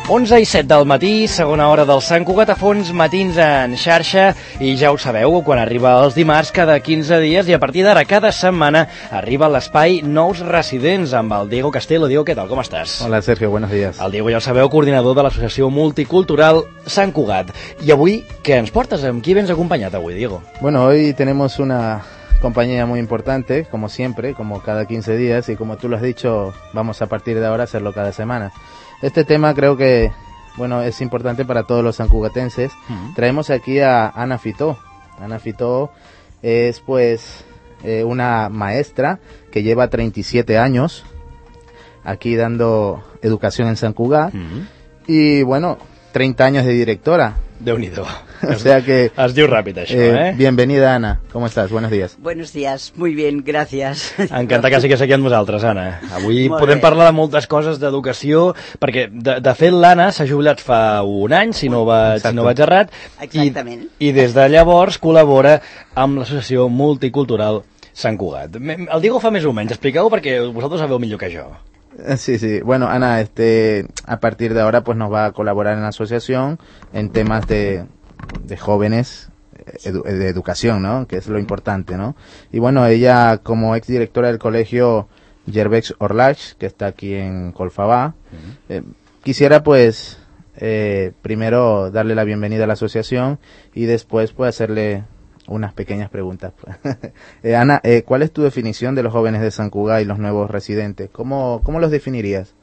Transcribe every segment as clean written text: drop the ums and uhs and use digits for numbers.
11:07 del matí, segona hora del Sant Cugat a Fons, matins en xarxa, i ja ho sabeu, quan arriba els dimarts cada 15 dies i a partir d'ara cada setmana arriba l'espai Nous Residents amb el Diego Castelo. Diego, què tal, com estàs? Hola Sergio, buenos días. El Diego, ja ho sabeu, coordinador de l'Associació Multicultural Sant Cugat. I avui, què ens portes? Amb qui vens acompanyat avui, Diego? Bueno, hoy tenemos una compañía muy importante, como siempre, como cada 15 días, y como tú lo has dicho, vamos a partir de ahora a hacerlo cada semana. Este tema creo que, bueno, es importante para todos los sancugatenses. Traemos aquí a Ana Fitó. Ana Fitó es, pues, una maestra que lleva 37 años aquí dando educación en Sant Cugat. Y, bueno, 30 años de directora. Déu-n'hi-do. O sea que... Es diu ràpid, això, Bienvenida, Ana. ¿Cómo estás? Buenos días. Buenos días. Muy bien, gracias. Encantat que sigues aquí amb nosaltres, Anna. Avui Molt podem bé. parlar de moltes coses d'educació, perquè, de fet, l'Anna s'ha jubilat fa un any, si no vaig errat, Exactament. i des de llavors col·labora amb l'Associació Multicultural Sant Cugat. El Diego fa més o menys, expliqueu perquè vosaltres sabeu millor que jo. Sí, sí. Bueno, Ana, a partir de ahora pues nos va a colaborar en la asociación en temas de jóvenes, de educación, ¿no? Que es lo importante, ¿no? Y bueno, ella como exdirectora del colegio Gervex Orlach, que está aquí en Colfabá, quisiera pues primero darle la bienvenida a la asociación y después pues hacerle unas pequeñas preguntas. Ana, ¿cuál es tu definición de los jóvenes de Sant Cugat y los nuevos residentes? ¿Cómo los definirías?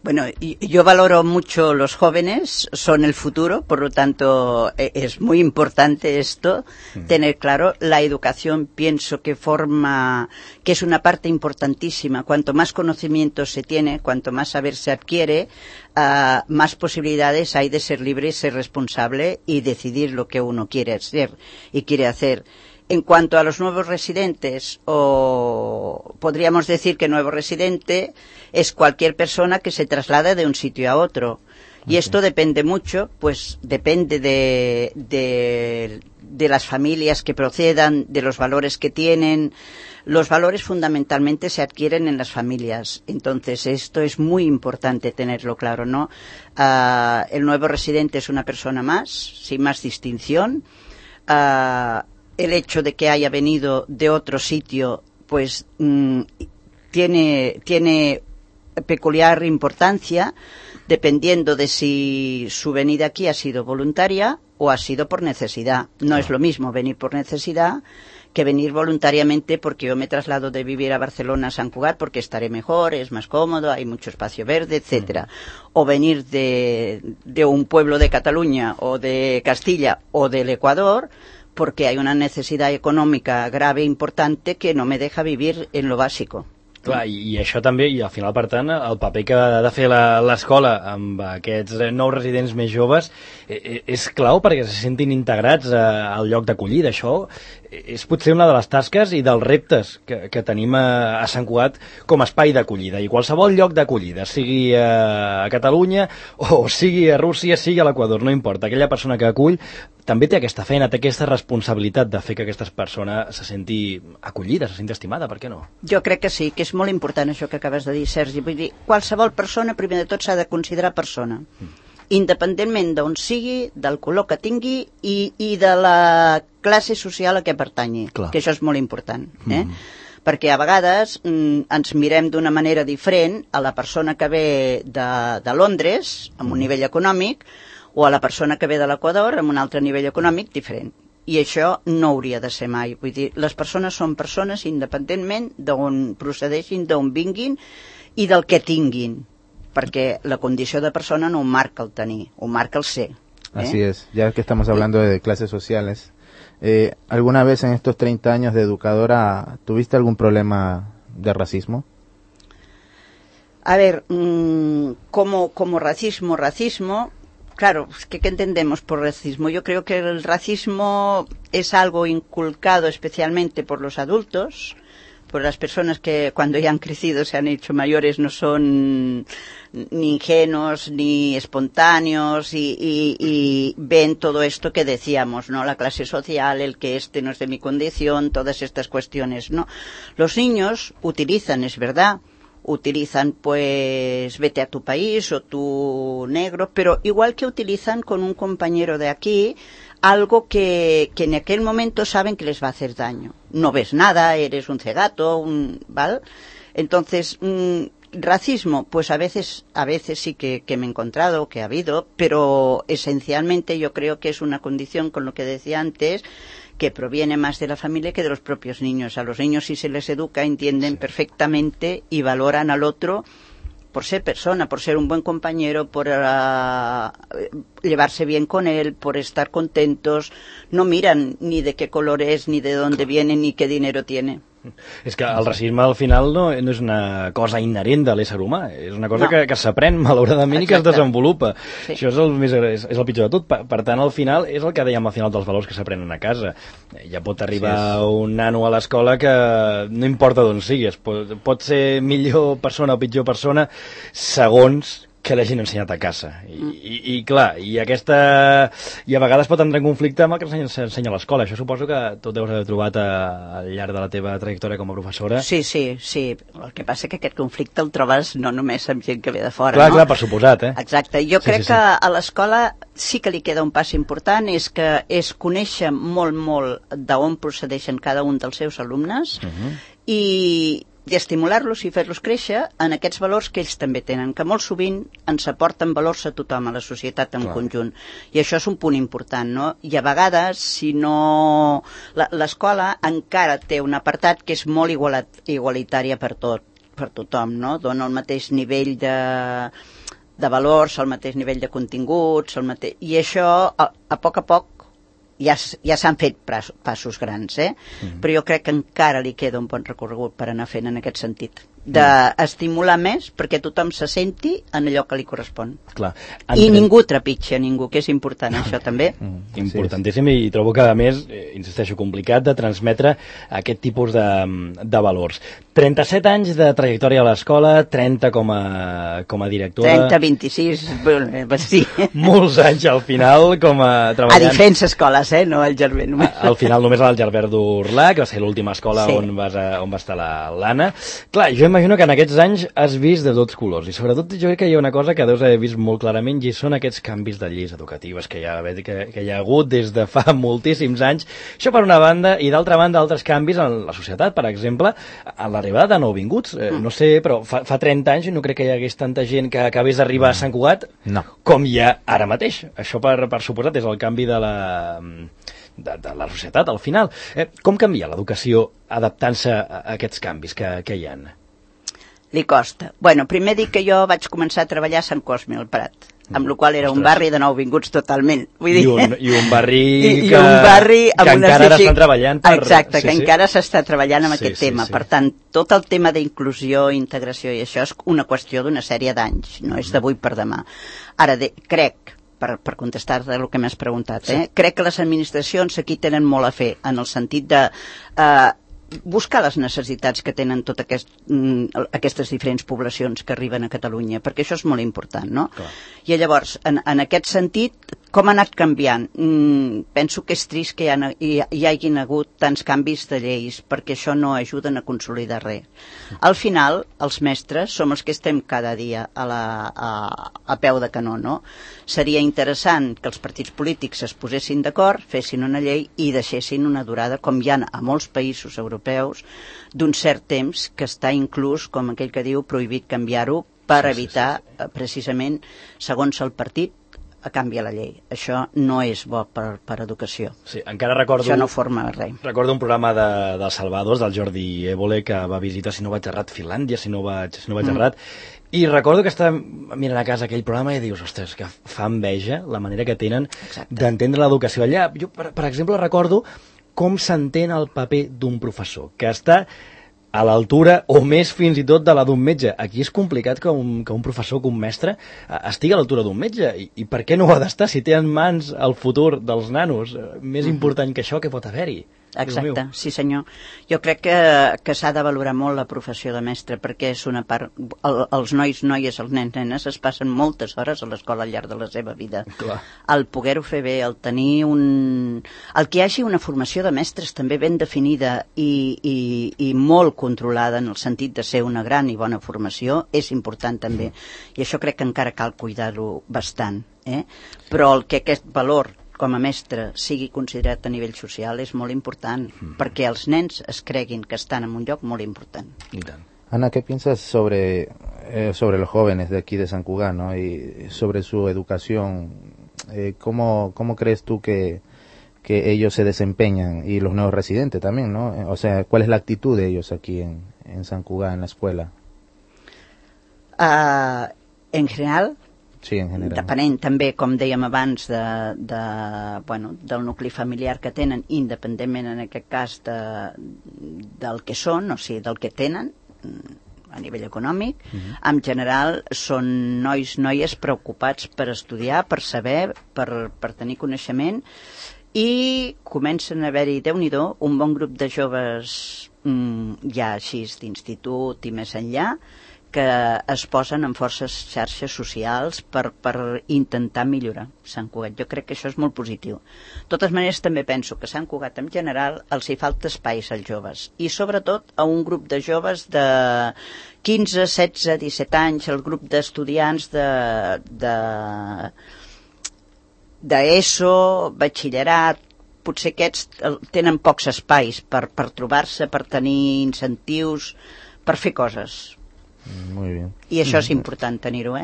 Bueno, yo valoro mucho los jóvenes, son el futuro, por lo tanto es muy importante esto, tener claro. La educación pienso que es una parte importantísima. Cuanto más conocimiento se tiene, cuanto más saber se adquiere, más posibilidades hay de ser libre y ser responsable y decidir lo que uno quiere ser y quiere hacer. En cuanto a los nuevos residentes, o podríamos decir que nuevo residente es cualquier persona que se traslada de un sitio a otro. Y esto depende mucho, pues depende de las familias que procedan, de los valores que tienen. Los valores fundamentalmente se adquieren en las familias. Entonces esto es muy importante tenerlo claro, ¿no? El nuevo residente es una persona más, sin más distinción. El hecho de que haya venido de otro sitio, pues tiene peculiar importancia, dependiendo de si su venida aquí ha sido voluntaria o ha sido por necesidad. No es lo mismo venir por necesidad que venir voluntariamente porque yo me traslado de vivir a Barcelona a Sant Cugat porque estaré mejor, es más cómodo, hay mucho espacio verde, etcétera. O venir de un pueblo de Cataluña o de Castilla o del Ecuador porque hay una necesidad econòmica grave i importante que no me deja vivir en lo básico. Clar, i això també, i al final, per tant, el paper que ha de fer l'escola amb aquests nous residents més joves és clau perquè se sentin integrats al lloc d'acollida. Això és potser una de les tasques i dels reptes que tenim a Sant Cugat com a espai d'acollida. I qualsevol lloc d'acollida, sigui a Catalunya o sigui a Rússia, sigui a l'Equador, no importa. Aquella persona que acull també té aquesta feina, té aquesta responsabilitat de fer que aquesta persona se senti acollida, se senti estimada, per què no? Jo crec que sí, que és molt important això que acabes de dir, Sergi. Vull dir, qualsevol persona, primer de tot, s'ha de considerar persona. Independentment d'on sigui, del color que tingui i de la classe social a què pertanyi. Clar. Que això és molt important. Perquè a vegades ens mirem d'una manera diferent a la persona que ve de Londres, amb un nivell econòmic, o a la persona que ve de l'Equador amb un altre nivell econòmic diferent. I això no hauria de ser mai. Vull dir, les persones són persones independentment d'on procedeixin, d'on vinguin i del que tinguin. Perquè la condició de persona no ho marca el tenir, ho marca el ser. Así es, ya que estamos hablando de clases sociales. ¿Alguna vez en estos 30 años de educadora tuviste algún problema de racismo? A ver, como racismo, claro, ¿qué entendemos por racismo? Yo creo que el racismo es algo inculcado especialmente por los adultos, por las personas que cuando ya han crecido, se han hecho mayores, no son ni ingenuos ni espontáneos y ven todo esto que decíamos, ¿no? La clase social, el que no es de mi condición, todas estas cuestiones, ¿no? Los niños utilizan, es verdad, utilizan pues vete a tu país o tu negro, pero igual que utilizan con un compañero de aquí algo que en aquel momento saben que les va a hacer daño. No ves nada, eres un cegato, ¿vale? Entonces, racismo, pues a veces sí que me he encontrado, que ha habido, pero esencialmente yo creo que es una condición, con lo que decía antes, que proviene más de la familia que de los propios niños. A los niños, si se les educa, entienden perfectamente y valoran al otro por ser persona, por ser un buen compañero, por llevarse bien con él, por estar contentos. No miran ni de qué color es, ni de dónde viene, ni qué dinero tiene. És que el racisme al final no és una cosa inherent de l'ésser humà, és una cosa que s'aprèn malauradament. Exacte. I que es desenvolupa. Sí. Això és el pitjor de tot. Per tant, al final, és el que dèiem al final dels valors que s'aprenen a casa. Ja pot arribar un nano a l'escola que no importa d'on siguis, pot ser millor persona o pitjor persona segons que l'hagin ensenyat a casa. I clar, i a vegades pot entrar en conflicte amb el que s'ensenya a l'escola. Això suposo que tu deus haver trobat al llarg de la teva trajectòria com a professora. Sí. El que passa que aquest conflicte el trobes no només amb gent que ve de fora, clar, no? Clar, per suposat, Exacte. Jo crec que a l'escola sí que li queda un pas important, és conèixer molt d'on procedeixen cada un dels seus alumnes i estimular-los i fer-los créixer en aquests valors que ells també tenen, que molt sovint ens aporten valors a tothom, a la societat en conjunt. I això és un punt important, no? I a vegades, si no... L'escola encara té un apartat que és molt igualitària per tothom, no? Dona el mateix nivell de valors, el mateix nivell de continguts, i això, a poc ja s'han fet passos grans, però jo crec que encara li queda un bon recorregut per anar fent en aquest sentit, d'estimular més perquè tothom se senti en allò que li correspon. Clar. I ningú trepitja ningú, que és important això també. Importantíssim, i trobo que a més, insisteixo, complicat de transmetre aquest tipus de valors. 37 anys de trajectòria a l'escola, 30 com a directora... 30, 26, sí. Molts anys al final com a treballant... A diferents escoles, no al Gerber només. Al final només al Gerber d'Urlà, que va ser l'última escola on va estar l'Anna. Clar, jo imagino que en aquests anys has vist de tots colors, i sobretot jo crec que hi ha una cosa que deus haver vist molt clarament, i són aquests canvis de lleis educatives que hi ha hagut des de fa moltíssims anys. Això per una banda, i d'altra banda altres canvis en la societat, per exemple, a l'arribada de nouvinguts. No sé, però fa 30 anys no crec que hi hagués tanta gent que acabés d'arribar a Sant Cugat com hi ha ara mateix. Això per suposat és el canvi de la societat al final. Com canvia l'educació adaptant-se a aquests canvis que hi ha? Li costa. Bueno, primer dic que jo vaig començar a treballar a Sant Cosme, al Prat, amb la qual era un barri de nouvinguts totalment. Vull dir... I un barri que encara ara estan treballant per... Exacte, que encara s'està treballant amb aquest tema. Per tant, tot el tema d'inclusió, integració i això és una qüestió d'una sèrie d'anys, no és d'avui per demà. Ara, crec, per contestar-te el que m'has preguntat, crec que les administracions aquí tenen molt a fer, en el sentit de... buscar les necessitats que tenen totes aquestes diferents poblacions que arriben a Catalunya, perquè això és molt important, no? Clar. I llavors, en aquest sentit, com ha anat canviant? Penso que és trist que hi hagin hagut tants canvis de lleis, perquè això no ajuden a consolidar res. Al final, els mestres som els que estem cada dia a peu de canó, no? Seria interessant que els partits polítics es posessin d'acord, fessin una llei i deixessin una durada, com hi ha a molts països europeus, d'un cert temps que està inclús, com aquell que diu, prohibit canviar-ho per evitar, precisament, segons el partit, a canviar la llei. Això no és bo per educació. Sí, encara recordo... Això no forma res. Recordo un programa del Salvador, del Jordi Évole, que va visitar, si no vaig errat, Finlàndia, si no vaig errat, i recordo que estava mirant a casa aquell programa i dius, ostres, que fa enveja la manera que tenen d'entendre l'educació allà. Jo, per exemple, recordo com s'entén el paper d'un professor, que està a l'altura o més fins i tot de la d'un metge. Aquí és complicat que un professor, que un mestre estigui a l'altura d'un metge. I per què no ho ha d'estar si té en mans el futur dels nanos? Més important que això, que pot haver-hi? Exacte, sí senyor. Jo crec que s'ha de valorar molt la professió de mestre, perquè és una part... Els nois, noies, els nens, nenes es passen moltes hores a l'escola al llarg de la seva vida. Clar. El poder-ho fer bé, el tenir un... El que hi hagi una formació de mestres també ben definida i molt controlada en el sentit de ser una gran i bona formació és important també. I això crec que encara cal cuidar-ho bastant. Però el que aquest valor com a mestre sigui considerat a nivell social és molt important, perquè els nens es creguin que estan en un lloc molt important. I tant. Ana, ¿qué piensas sobre los jóvenes de aquí de San Cugat, ¿no? Y sobre su educación? ¿Cómo crees tú que ellos se desempeñan y los nuevos residentes también, ¿no? O sea, ¿cuál es la actitud de ellos aquí en San Cugat, en la escuela? En general, sí, en general, depenent també, com dèiem abans, del nucli familiar que tenen, independentment en aquest cas del que són, o sigui, del que tenen a nivell econòmic. En general són nois, noies preocupats per estudiar, per saber, per tenir coneixement, i comencen a haver-hi, Déu-n'hi-do, un bon grup de joves ja així d'institut i més enllà, que es posen en forces xarxes socials per intentar millorar Sant Cugat. Jo crec que això és molt positiu. De totes maneres, també penso que Sant Cugat en general els hi falta espais als joves, i sobretot a un grup de joves de 15, 16, 17 anys, el grup d'estudiants d'ESO, batxillerat. Potser aquests tenen pocs espais per trobar-se, per tenir incentius, per fer coses. Muy bien. Y eso es importante tenerlo,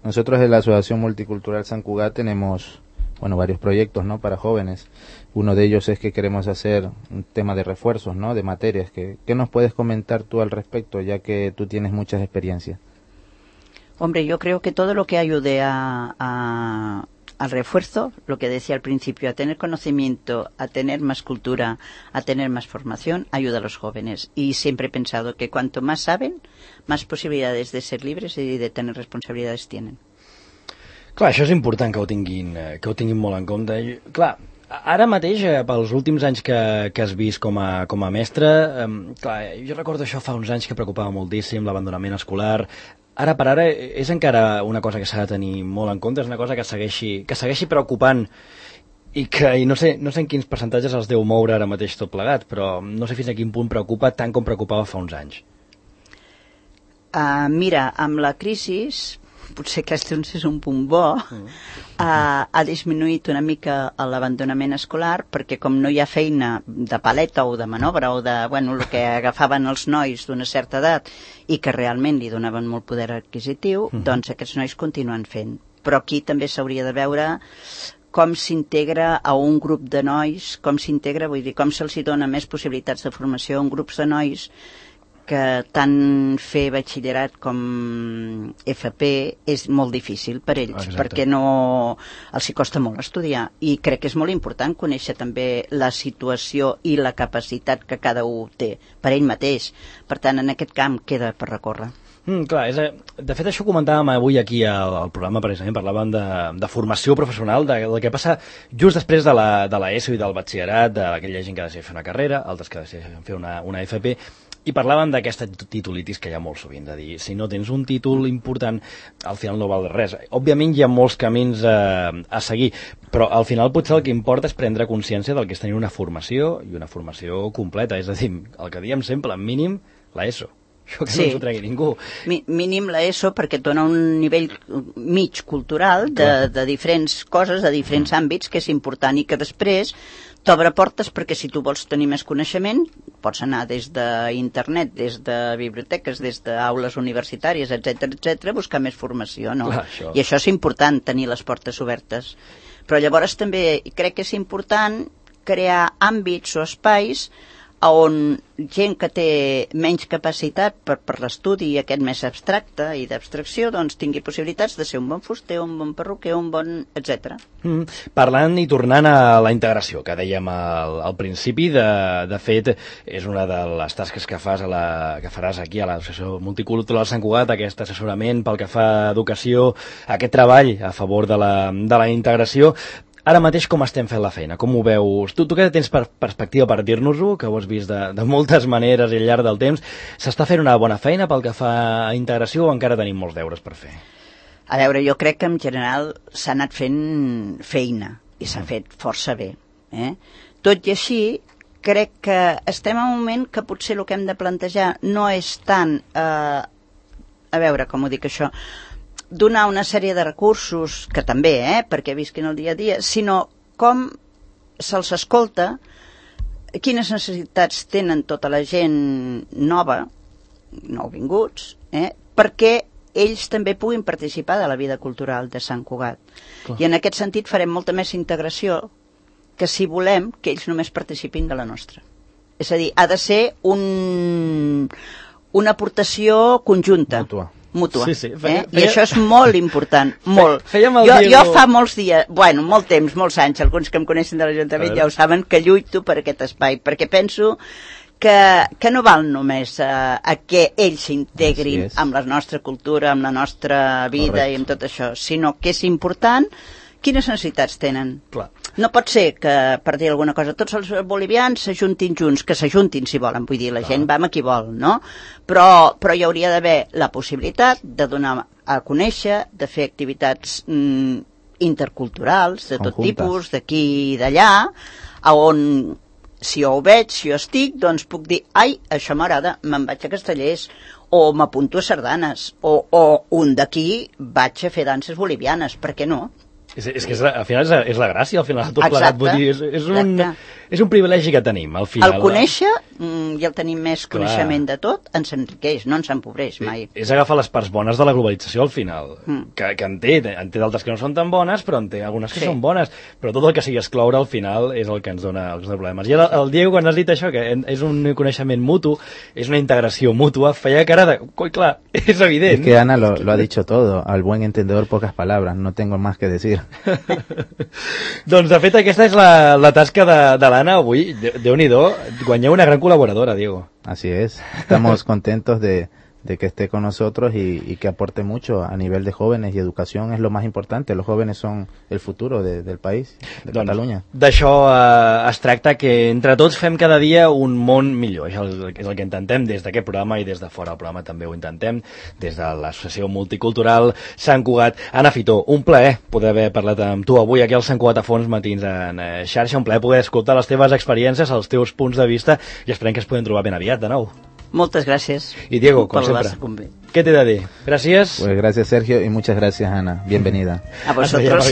Nosotros en la Asociación Multicultural San Cugat tenemos, varios proyectos, ¿no?, para jóvenes. Uno de ellos es que queremos hacer un tema de refuerzos, ¿no?, de materias. ¿Qué nos puedes comentar tú al respecto, ya que tú tienes muchas experiencias? Hombre, yo creo que todo lo que ayude al refuerzo, lo que decía al principio, a tener conocimiento, a tener más cultura, a tener más formación, ayuda a los jóvenes. Y siempre he pensado que cuanto más saben, más posibilidades de ser libres y de tener responsabilidades tienen. Clar, això és important que ho tinguin molt en compte. Clar, ara mateix, pels últims anys que has vist com a mestre, clar, jo recordo això fa uns anys que preocupava moltíssim, l'abandonament escolar. Ara per ara és encara una cosa que s'ha de tenir molt en compte, és una cosa que segueixi preocupant i no sé en quins percentatges els deu moure ara mateix tot plegat, però no sé fins a quin punt preocupa tant com preocupava fa uns anys. Mira, amb la crisi, potser aquest és un punt bo, ha disminuït una mica l'abandonament escolar, perquè com no hi ha feina de paleta o de manobra o de, el que agafaven els nois d'una certa edat i que realment li donaven molt poder adquisitiu, doncs aquests nois continuen fent. Però aquí també s'hauria de veure com s'integra a un grup de nois, com se'ls dona més possibilitats de formació en grups de nois, que tant fer batxillerat com FP és molt difícil per ells. Exacte. Perquè els hi costa molt estudiar, i crec que és molt important conèixer també la situació i la capacitat que cada un té per ell mateix. Per tant, en aquest camp queda per recórrer. Clar, de fet això comentàvem avui aquí al programa, precisament parlàvem de formació professional, del que passa just després de l'ESO i del batxillerat, d'aquella gent que ha de fer una carrera, altres que decideixen fer una FP, i parlàvem d'aquesta titulitis que hi ha molt sovint, de dir, si no tens un títol important, al final no val res. Òbviament hi ha molts camins a seguir, però al final potser el que importa és prendre consciència del que és tenir una formació, i una formació completa, és a dir, el que diem sempre, mínim l'ESO. Això que no s'ho tregui ningú. Mínim l'ESO, perquè et dona un nivell mig cultural de diferents coses, de diferents àmbits, que és important, i que després t'obre portes, perquè si tu vols tenir més coneixement, pots anar des d'internet, des de biblioteques, des d'aules universitàries, etc, buscar més formació, no? Clar, i això és important, tenir les portes obertes. Però llavors també crec que és important crear àmbits o espais on gent que té menys capacitat per l'estudi aquest més abstracte i d'abstracció, doncs tingui possibilitats de ser un bon fuster, un bon perruquer, un bon etc. Parlant i tornant a la integració, que dèiem al principi, de fet, és una de les tasques que faràs aquí a l'Associació Multicultural Sant Cugat, aquest assessorament pel que fa a educació, aquest treball a favor de la integració. Ara mateix com estem fent la feina? Com ho veus? Tu que tens perspectiva per dir-nos-ho, que ho has vist de moltes maneres i al llarg del temps, s'està fent una bona feina pel que fa a integració o encara tenim molts deures per fer? A veure, jo crec que en general s'ha anat fent feina i s'ha fet força bé. Tot i així, crec que estem en un moment que potser el que hem de plantejar no és tant, a veure, com ho dic això, donar una sèrie de recursos, que també, perquè visquin el dia a dia, sinó com se'ls escolta, quines necessitats tenen tota la gent nova, nouvinguts, perquè ells també puguin participar de la vida cultural de Sant Cugat. Clar. I en aquest sentit farem molta més integració que si volem que ells només participin de la nostra. És a dir, ha de ser una aportació conjunta. Mútua. Sí, I això és molt important, molt. Jo fa molts dies, molt temps, molts anys, alguns que em coneixen de l'Ajuntament ja ho saben, que lluito per aquest espai, perquè penso que no val només a que ells s'integrin amb la nostra cultura, amb la nostra vida i amb tot això, sinó que és important quines necessitats tenen. Clar. No pot ser que, per dir alguna cosa, tots els bolivians s'ajuntin junts, que s'ajuntin si volen, vull dir, la gent va amb qui vol, no? Però hi hauria d'haver la possibilitat de donar a conèixer, de fer activitats interculturals, de tot tipus, d'aquí i d'allà, on, si jo ho veig, si jo estic, doncs puc dir, ai, això m'agrada, me'n vaig a Castellers, o m'apunto a sardanes, o un d'aquí vaig a fer danses bolivianes, per què no? És que al final és la gràcia, al final, tot plegat. Vull dir, és un privilegi que tenim, al final. El conèixer, i el tenim més coneixement de tot, ens enriqueix, no ens empobreix mai. És agafar les parts bones de la globalització, al final. Que en té d'altres que no són tan bones, però en té algunes que són bones. Però tot el que sigui excloure, al final, és el que ens dona els problemes. I el Diego, quan has dit això, que és un coneixement mutu, és una integració mútua, feia cara de... Clar, és evident. Es que Ana lo ha dicho todo. Al buen entendedor, pocas palabras. No tengo más que decir. Doncs, de fet, aquesta és la tasca de l'Anna avui. Déu-n'hi-do, guanyeu una gran colaboradora, Diego. Así es. Estamos contentos de que esté con nosotros y que aporte mucho a nivel de jóvenes y educación es lo más importante. Los jóvenes son el futuro del país, de Catalunya. D'això es tracta, que entre tots fem cada dia un món millor. Això és el que intentem des d'aquest programa i des de fora del programa també ho intentem, des de l'Associació Multicultural Sant Cugat. Anna Fitó, un plaer poder haver parlat amb tu avui aquí al Sant Cugat a Fons Matins en xarxa, un plaer poder escoltar les teves experiències, els teus punts de vista, i esperem que es podem trobar ben aviat de nou. Moltes gràcies. Y Diego, como siempre, ¿qué te da de? Gracias. Pues gracias, Sergio, y muchas gracias, Ana. Bienvenida. A vosotros.